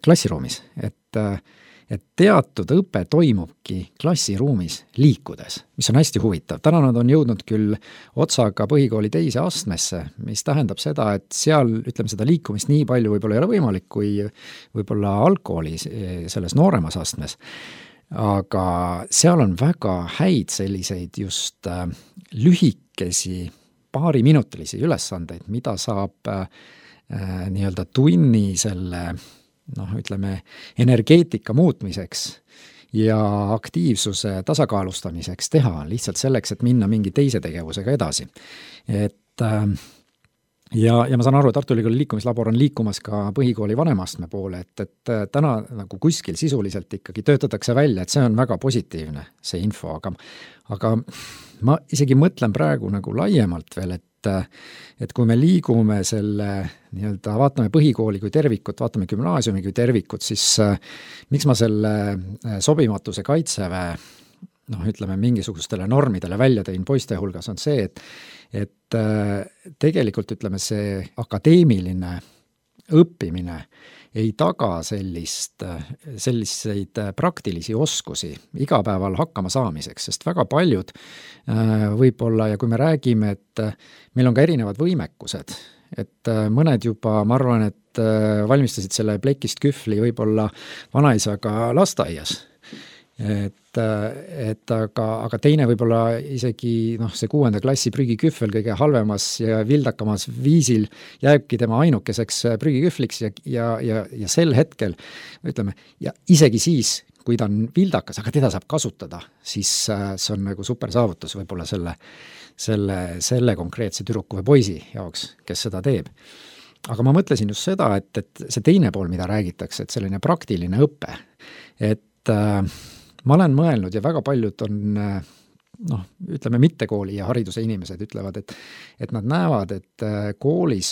klassiruumis, et et teatud õpe toimubki klassiruumis liikudes, mis on hästi huvitav. Täna nad on jõudnud küll otsaga põhikooli teise astmesse, mis tähendab seda, et seal, ütleme, seda liikumist nii palju võib-olla ei ole võimalik, kui võib-olla algkooli selles nooremas astmes. Aga seal on väga häid selliseid just lühikesi, paariminutilisi ülesandeid, mida saab äh, nii-öelda tunni selle noh, ütleme, energeetika muutmiseks ja aktiivsuse tasakaalustamiseks teha, lihtsalt selleks, et minna mingi teise tegevusega edasi. Et ja, ja ma saan aru, et Tartu Ülikooli liikumislabor on liikumas ka põhikooli vanemastme poole, et, et täna nagu kuskil sisuliselt ikkagi töötatakse välja, et see on väga positiivne, see info, aga, aga ma isegi mõtlen praegu nagu laiemalt veel, et et kui me liigume selle nii-öelda, vaatame põhikooli kui tervikut, vaatame gümnaasiumi kui tervikut, siis miks ma selle sobimatuse kaitseväe noh, ütleme mingisugustele normidele välja tõin poiste hulgas on see, et, et tegelikult ütleme see akadeemiline õppimine ei taga sellist, selliseid praktilisi oskusi igapäeval hakkama saamiseks, sest väga paljud võib-olla, ja kui me räägime, et meil on ka erinevad võimekused, et mõned juba, ma arvan, et valmistasid selle plekist kühvli võib-olla vanaisaga lasteaias, et, et aga, aga teine võib-olla isegi noh, see kuuenda klassi prügikühvel kõige halvemas ja vildakamas viisil jääbki tema ainukeseks prügikühvliks ja, ja, ja, ja sel hetkel, ütleme, ja isegi siis, kui ta on vildakas, aga teda saab kasutada, siis see on nagu super saavutus võib-olla selle, selle, selle konkreetse tüdruku või poisi jaoks, kes seda teeb. Aga ma mõtlesin just seda, et, et see teine pool, mida räägitakse, et selline praktiline õpe, et äh, ma olen mõelnud ja väga paljud on, noh, ütleme mitte kooli ja hariduse inimesed ütlevad, et, et nad näevad, et koolis,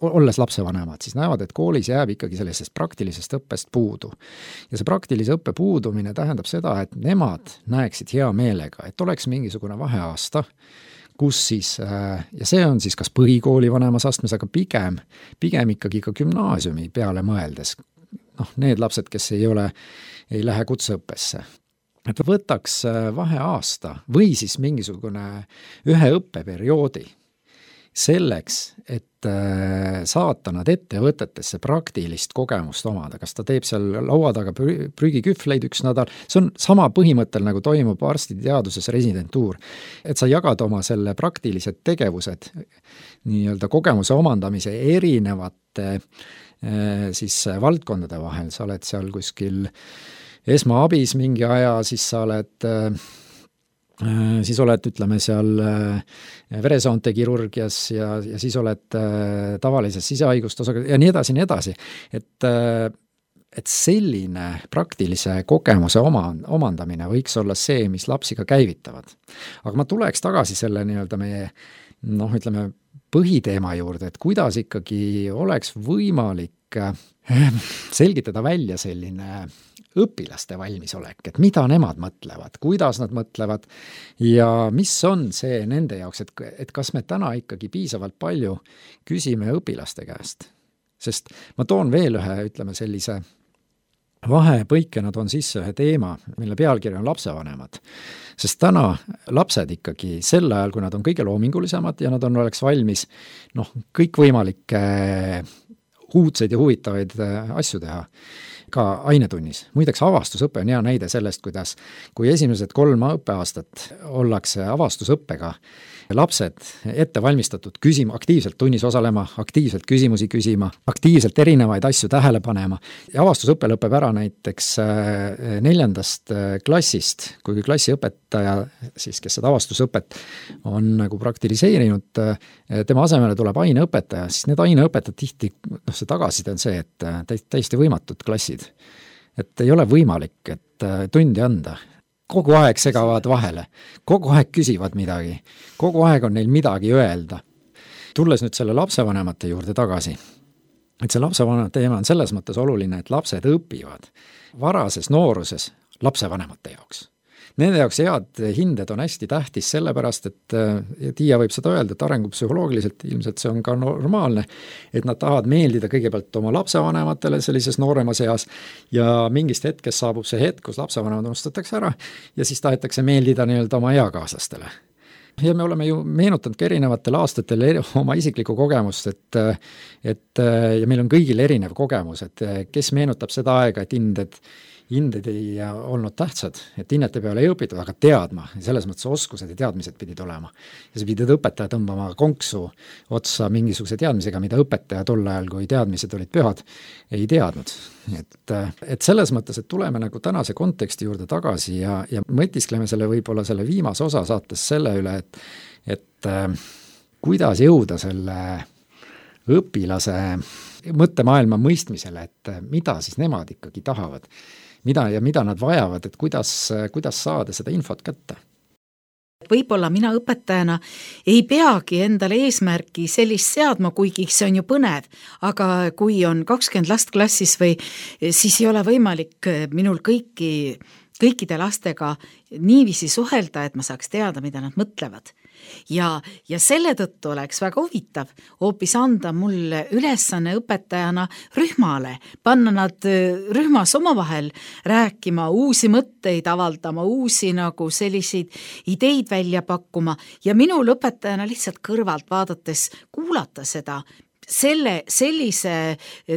olles lapsevanemad, siis näevad, et koolis jääb ikkagi sellisest praktilisest õppest puudu. Ja see praktilise õppe puudumine tähendab seda, et nemad näeksid hea meelega, et oleks mingisugune vaheaasta, kus siis, ja see on siis kas põhikooli vanemas astmes, aga pigem, pigem ikkagi ka gümnaasiumi peale mõeldes, noh, need lapsed, kes ei ole, ei lähe kutseõppesse, et võtaks vaheaasta või siis mingisugune ühe õppeperioodi selleks, et saata nad ettevõtetesse praktilist kogemust omada, kas ta teeb seal laua taga prügikühvleid üks nädal, see on sama põhimõttel, nagu toimub arstiteaduses residentuur, et sa jagad oma selle praktilised tegevused nii-öelda kogemuse omandamise erinevate siis valdkondade vahel, sa oled seal kuskil esmaabis mingi aja, siis sa oled, siis oled, ütleme seal veresoonte kirurgias ja, ja siis oled tavalises sisehaigustosaga ja nii edasi, nii edasi. Et, et selline praktilise kogemuse oma, omandamine võiks olla see, mis lapsi ka käivitavad. Aga ma tuleks tagasi selle nii-öelda meie, noh, ütleme, põhiteema juurde, et kuidas ikkagi oleks võimalik selgitada välja selline õpilaste valmisolek, et mida nemad mõtlevad, kuidas nad mõtlevad ja mis on see nende jaoks, et, et kas me täna ikkagi piisavalt palju küsime õpilaste käest. Sest ma toon veel ühe, ütleme sellise vahepõikena toon sisse ühe teema, mille pealkiri on lapsevanemad. Sest täna lapsed ikkagi sel ajal, kui nad on kõige loomingulisemad ja nad on, oleks valmis noh, kõikvõimalikke uudseid ja huvitavaid asju teha ka ainetunnis. Muideks avastusõpe on hea näide sellest, kuidas kui esimesed kolm õppeaastat ollakse avastusõppega lapsed ette valmistatud küsima, aktiivselt tunnis osalema, aktiivselt küsimusi küsima, aktiivselt erinevaid asju tähele panema. Ja avastusõpe lõpeb ära näiteks neljandast klassist, kui klassiõpetaja, siis kes seda avastusõpet on nagu praktiliseerinud, tema asemele tuleb aineõpetaja, siis need aineõpetajad tihti, noh see tagasiside on see, et täiesti võimatud klassid. Et ei ole võimalik, et tundi anda. Kogu aeg segavad vahele, kogu aeg küsivad midagi, kogu aeg on neil midagi öelda. Tulles nüüd selle lapsevanemate juurde tagasi, et see lapsevanemate teema on selles mõttes oluline, et lapsed õpivad varases nooruses lapsevanemate jaoks. Nende jaoks head hinded on hästi tähtis sellepärast, et Tiia võib seda öelda, et arengupsühholoogiliselt ilmselt see on ka normaalne, et nad tahavad meeldida kõigepealt oma lapsevanematele sellises nooremas eas ja mingist hetkest saabub see hetk, kus lapsevanemad unustatakse ära ja siis tahetakse meeldida nii-öelda oma eakaaslastele. Ja me oleme ju meenutanud ka erinevatel aastatel oma isiklikku kogemust, et, et ja meil on kõigil erinev kogemus, et kes meenutab seda aega, et hinded hinded ei olnud tähtsad, et hinnete peale ei õpitud, aga teadma, selles mõttes oskused ja teadmised pidid olema. Ja see pidid õpetaja tõmbama konksu otsa mingisuguse teadmisega, mida õpetaja tol ajal, kui teadmised olid pühad, ei teadnud. Et, et selles mõttes, et tuleme nagu tänase konteksti juurde tagasi ja, ja mõtiskleme selle võib-olla selle viimase osa saates selle üle, et, et kuidas jõuda selle õpilase mõttemaailma mõistmisele, et mida siis nemad ikkagi tahavad. Mida ja mida nad vajavad, et kuidas, kuidas saada seda infot kätte? Võib-olla mina õpetajana ei peagi endale eesmärki sellist seadma, kuigi see on ju põnev, aga kui on kakskümmend last klassis või siis ei ole võimalik minul kõiki, kõikide lastega niiviisi suhelda, et ma saaks teada, mida nad mõtlevad. Ja, ja selle tõttu oleks väga huvitav hoopis anda mulle ülesanne õpetajana rühmale, panna nad rühmas omavahel rääkima, uusi mõtteid avaldama, uusi nagu selliseid ideid välja pakkuma ja minul õpetajana lihtsalt kõrvalt vaadates kuulata seda. Selle, sellise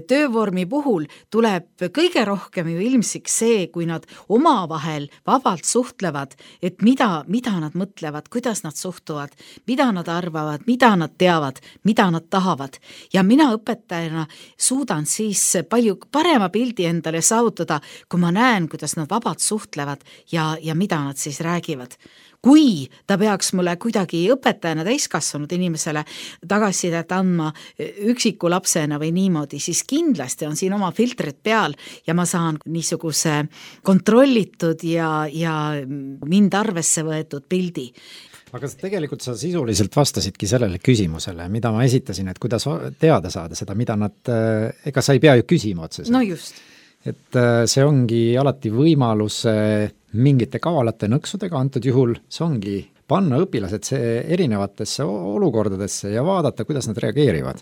töövormi puhul tuleb kõige rohkem ju ilmsiks see, kui nad omavahel vabalt suhtlevad, et mida, mida nad mõtlevad, kuidas nad suhtuvad, mida nad arvavad, mida nad teavad, mida nad tahavad. Ja mina õpetajana suudan siis palju parema pildi endale saavutada, kui ma näen, kuidas nad vabalt suhtlevad ja, ja mida nad siis räägivad. Kui ta peaks mulle kuidagi õpetajana täiskasvanud inimesele tagasisidet andma üksiku lapsena või niimoodi, siis kindlasti on siin oma filtrid peal ja ma saan niisuguse kontrollitud ja, ja mind arvesse võetud pildi. Aga tegelikult sa sisuliselt vastasidki sellele küsimusele, mida ma esitasin, et kuidas teada saada seda, mida nad, ega sa ei pea ju küsima otseselt. No just. Et see ongi alati võimalus mingite kavalate nõksudega, antud juhul see ongi panna õpilased see erinevatesse olukordadesse ja vaadata, kuidas nad reageerivad.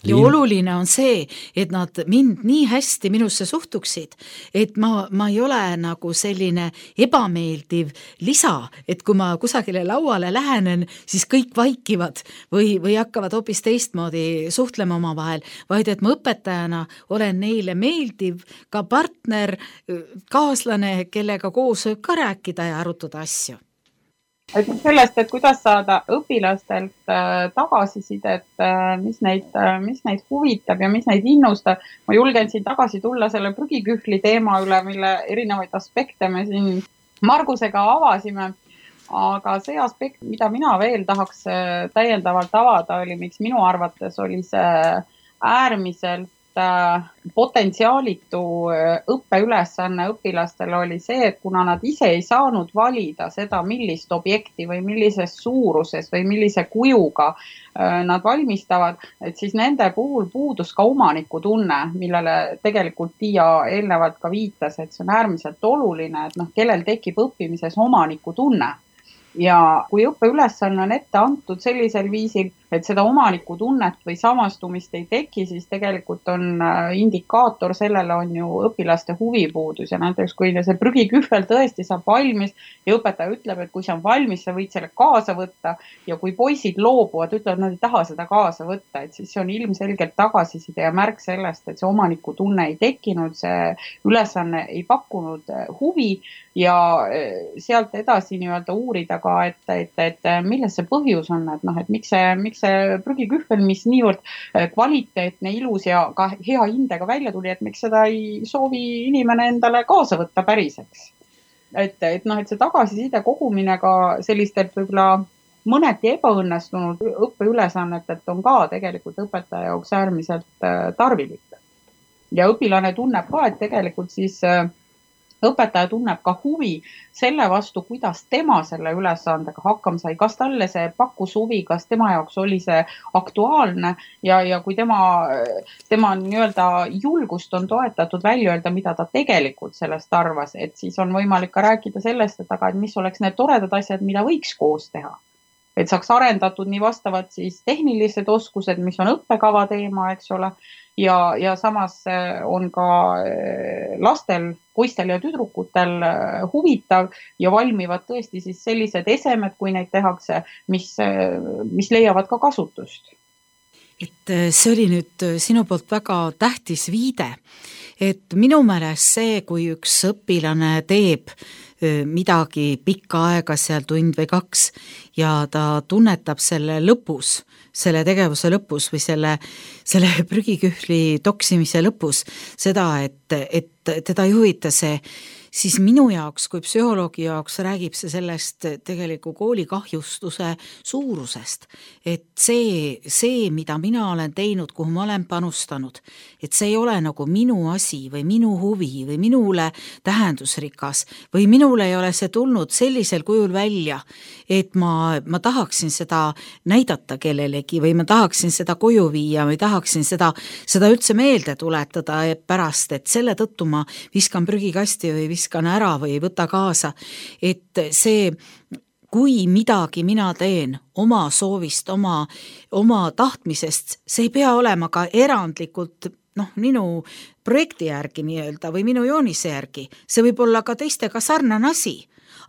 Ja oluline on see, et nad mind nii hästi minusse suhtuksid, et ma, ma ei ole nagu selline ebameeldiv lisa, et kui ma kusagile lauale lähenen, siis kõik vaikivad või, või hakkavad hoopis teistmoodi suhtlema oma vahel, vaid et ma õpetajana olen neile meeldiv ka partner, kaaslane, kellega koos võib ka rääkida ja arutada asju. Et sellest, et kuidas saada õpilastelt tagasisidet, mis neid, mis neid huvitab ja mis neid innustab. Ma julgen siin tagasi tulla selle prügikühli teema üle, mille erinevaid aspekte me siin Margusega avasime. Aga see aspekt, mida mina veel tahaks täiendavalt avada, oli, miks minu arvates oli see äärmiselt potentsiaalitu õppeülesanne õpilastel oli see, et kuna nad ise ei saanud valida seda, millist objekti või millises suuruses või millise kujuga nad valmistavad, et siis nende puhul puudus ka omaniku tunne, millele tegelikult Tiia eelnevalt ka viitas, et see on äärmiselt oluline, et noh, kellel tekib õppimises omaniku tunne. Ja kui õppeülesanne on ette antud sellisel viisil, et seda omaniku tunnet või samastumist ei teki, siis tegelikult on indikaator sellele on ju õpilaste huvipuudus ja näiteks kui see prügikühvel tõesti saab valmis ja õpetaja ütleb, et kui see on valmis, sa võid selle kaasa võtta ja kui poisid loobuvad, ütlevad, nad ei taha seda kaasa võtta, et siis see on ilmselgelt tagasiside ja märk sellest, et see omaniku tunne ei tekkinud, see ülesanne ei pakkunud huvi ja sealt edasi nii-öelda uurida ka, et, et, et milles see põhjus on, et noh, et miks see, miks see prügikühvel, mis niivõrd kvaliteetne, ilus ja ka hea hindega välja tuli, et miks seda ei soovi inimene endale kaasa võtta päriseks. Et, et noh, et see tagasiside kogumine ka sellistelt võib-olla mõneti ebaõnnestunud õppeülesannetelt on ka tegelikult õpetaja jaoks äärmiselt tarvilik. Ja õpilane tunneb ka, et tegelikult siis õpetaja tunneb ka huvi selle vastu, kuidas tema selle ülesandega hakkama sai, kas talle see pakkus huvi, kas tema jaoks oli see aktuaalne ja, ja kui tema, tema nii-öelda julgust on toetatud välja öelda, mida ta tegelikult sellest arvas, et siis on võimalik ka rääkida sellest, et aga et mis oleks need toredad asjad, mida võiks koos teha. Et saaks arendatud nii vastavad siis tehnilised oskused, mis on õppekava teema, eks ole, ja, ja samas on ka lastel, poistel ja tüdrukutel huvitav ja valmivad tõesti siis sellised esemed, kui neid tehakse, mis, mis leiavad ka kasutust. Et see oli nüüd sinu poolt väga tähtis viide, et minu meelest see, kui üks õpilane teeb midagi pikka aega seal tund või kaks ja ta tunnetab selle lõpus, selle tegevuse lõpus või selle, selle prügikühli toksimise lõpus seda, et, et teda ei huvita see, siis minu jaoks kui psühholoogi jaoks räägib see sellest tegeliku kooli kahjustuse suurusest. Et see, see, mida mina olen teinud, kuhu ma olen panustanud, et see ei ole nagu minu asi või minu huvi või minule tähendusrikas või minule ei ole see tulnud sellisel kujul välja, et ma, ma tahaksin seda näidata kellelegi või ma tahaksin seda koju viia või tahaksin seda, seda üldse meelde tuletada pärast, et selle tõttu ma viskan prügikasti või viskan ära või võta kaasa, et see, kui midagi mina teen oma soovist, oma, oma tahtmisest, see ei pea olema ka erandlikult noh, minu projekti järgi nii-öelda või minu joonise järgi, see võib olla ka teistega sarnane asi,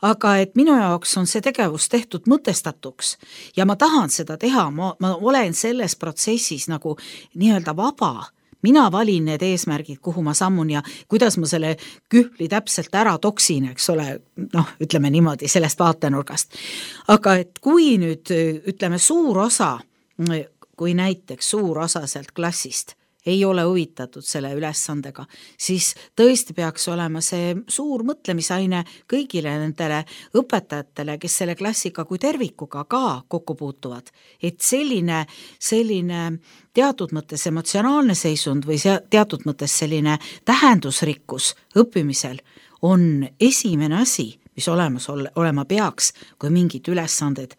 aga et minu jaoks on see tegevus tehtud mõtestatuks ja ma tahan seda teha, ma, ma olen selles protsessis nagu nii-öelda vaba. Mina valin need eesmärgid, kuhu ma sammun ja kuidas ma selle kühli täpselt ära toksin, eks ole, noh, ütleme niimoodi sellest vaatenurgast. Aga et kui nüüd, ütleme, suur osa, kui näiteks suur osa sealt klassist ei ole huvitatud selle ülesandega, siis tõesti peaks olema see suur mõtlemisaine kõigile nendele õpetajatele, kes selle klassiga kui tervikuga ka kokku puutuvad. Et selline, selline teatud mõttes emotsionaalne seisund või teatud mõttes selline tähendusrikkus õppimisel on esimene asi, mis olemas olema peaks, kui mingid ülesanded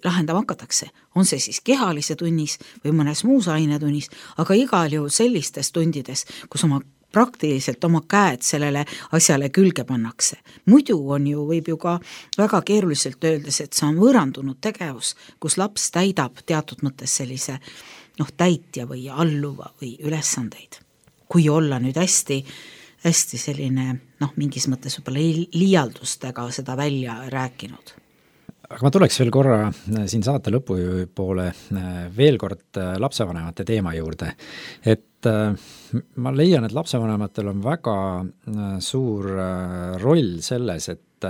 lahendama hakatakse. On see siis kehalise tunnis või mõnes muus ainetunnis, aga igal juhul sellistes tundides, kus oma praktiliselt oma käed sellele asjale külge pannakse. Muidu on ju, võib ju ka väga keeruliselt öeldes, et see on võõrandunud tegevus, kus laps täidab teatud mõttes sellise noh, täitja või alluva või ülesandeid. Kui olla nüüd hästi hästi selline, noh, mingis mõttes võib-olla liialdustega seda välja rääkinud. Aga ma tuleks veel korra siin saate lõpu poole veel kord lapsevanemate teema juurde. Et ma leian, et lapsevanematel on väga suur roll selles, et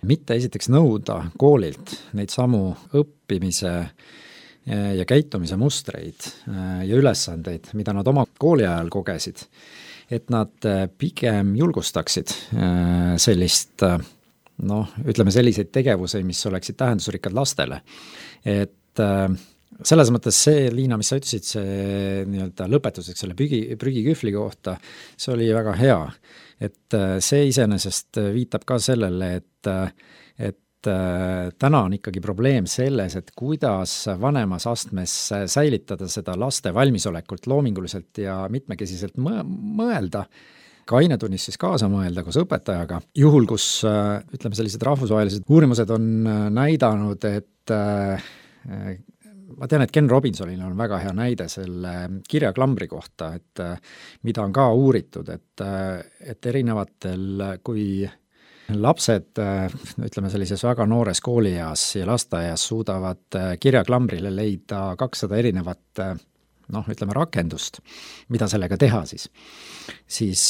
mitte esiteks nõuda koolilt neid samu õppimise ja käitumise mustreid ja ülesandeid, mida nad oma kooli ajal kogesid, et nad pigem julgustaksid sellist, noh, ütleme selliseid tegevusi, mis oleksid tähendusrikkad lastele. Et selles mõttes see, Liina, mis sa ütlesid, see nii-öelda lõpetuseks selle prügi, prügikühvli kohta, see oli väga hea. Et see iseenesest viitab ka sellele, et, et täna on ikkagi probleem selles, et kuidas vanemas astmes säilitada seda laste valmisolekult loominguliselt ja mitmekesiselt mõelda, ka ainetunnis siis kaasa mõelda koos õpetajaga. Juhul, kus ütleme sellised rahvusvahelised uurimused on näidanud, et ma tean, et Ken Robinsonil on väga hea näide selle kirjaklambri kohta, et mida on ka uuritud, et, et erinevatel, kui lapsed, ütleme sellises väga noores koolieas ja lasteaias suudavad kirjaklambrile leida kakssada erinevat noh, ütleme rakendust, mida sellega teha siis, siis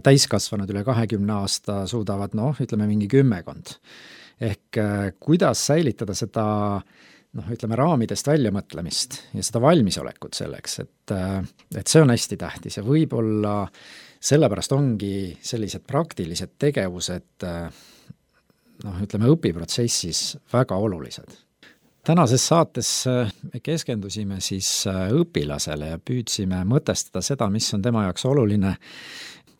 täiskasvanud üle kahekümne aasta suudavad noh, ütleme mingi kümmekond. Ehk kuidas säilitada seda noh, ütleme raamidest väljamõtlemist ja seda valmisolekut selleks, et, et see on hästi tähtis ja võib-olla sellepärast ongi sellised praktilised tegevused noh, ütleme õpiprotsessis väga olulised. Tänases saates me keskendusime siis õpilasele ja püüdsime mõtestada seda, mis on tema jaoks oluline,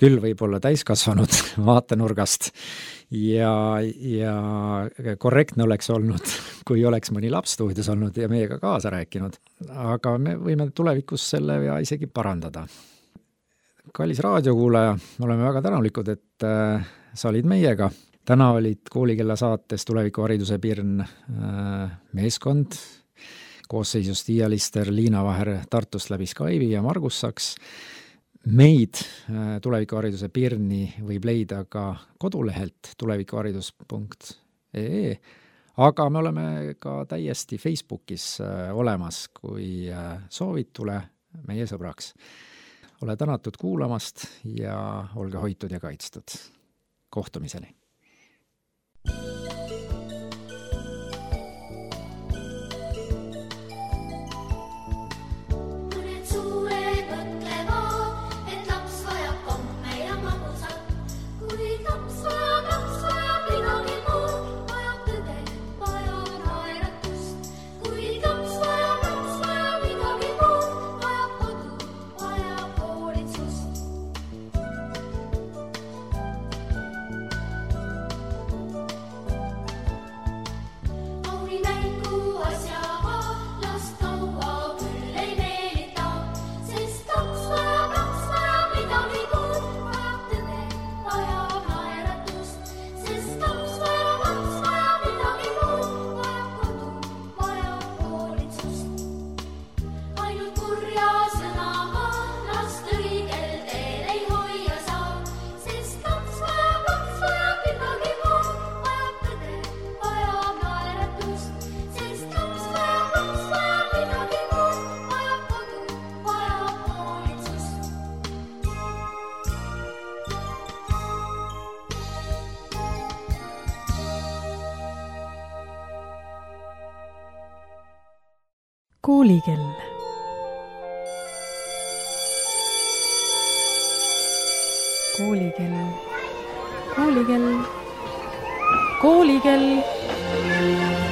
küll võib-olla täiskasvanud vaatenurgast ja, ja korrektne oleks olnud, kui oleks mõni laps stuudios olnud ja meiega kaasa rääkinud, aga me võime tulevikus selle ja isegi parandada. Kallis raadiokuulaja, me oleme väga tänulikud, et äh, sa olid meiega. Täna olid Koolikella saates Tulevikuhariduse Pirn äh, meeskond, koosseisus Tiia Lister, Liina Vaher Tartust läbi Skype'i ja Margus Saks. Meid äh, Tulevikuhariduse Pirni võib leida ka kodulehelt tulevikuharidus punkt ee, aga me oleme ka täiesti Facebookis äh, olemas, kui äh, soovid, tule meie sõbraks. Ole tänatud kuulamast ja olge hoitud ja kaitstud. Kohtumiseni! Koolikell. Koolikell. Koolikell. Koolikell.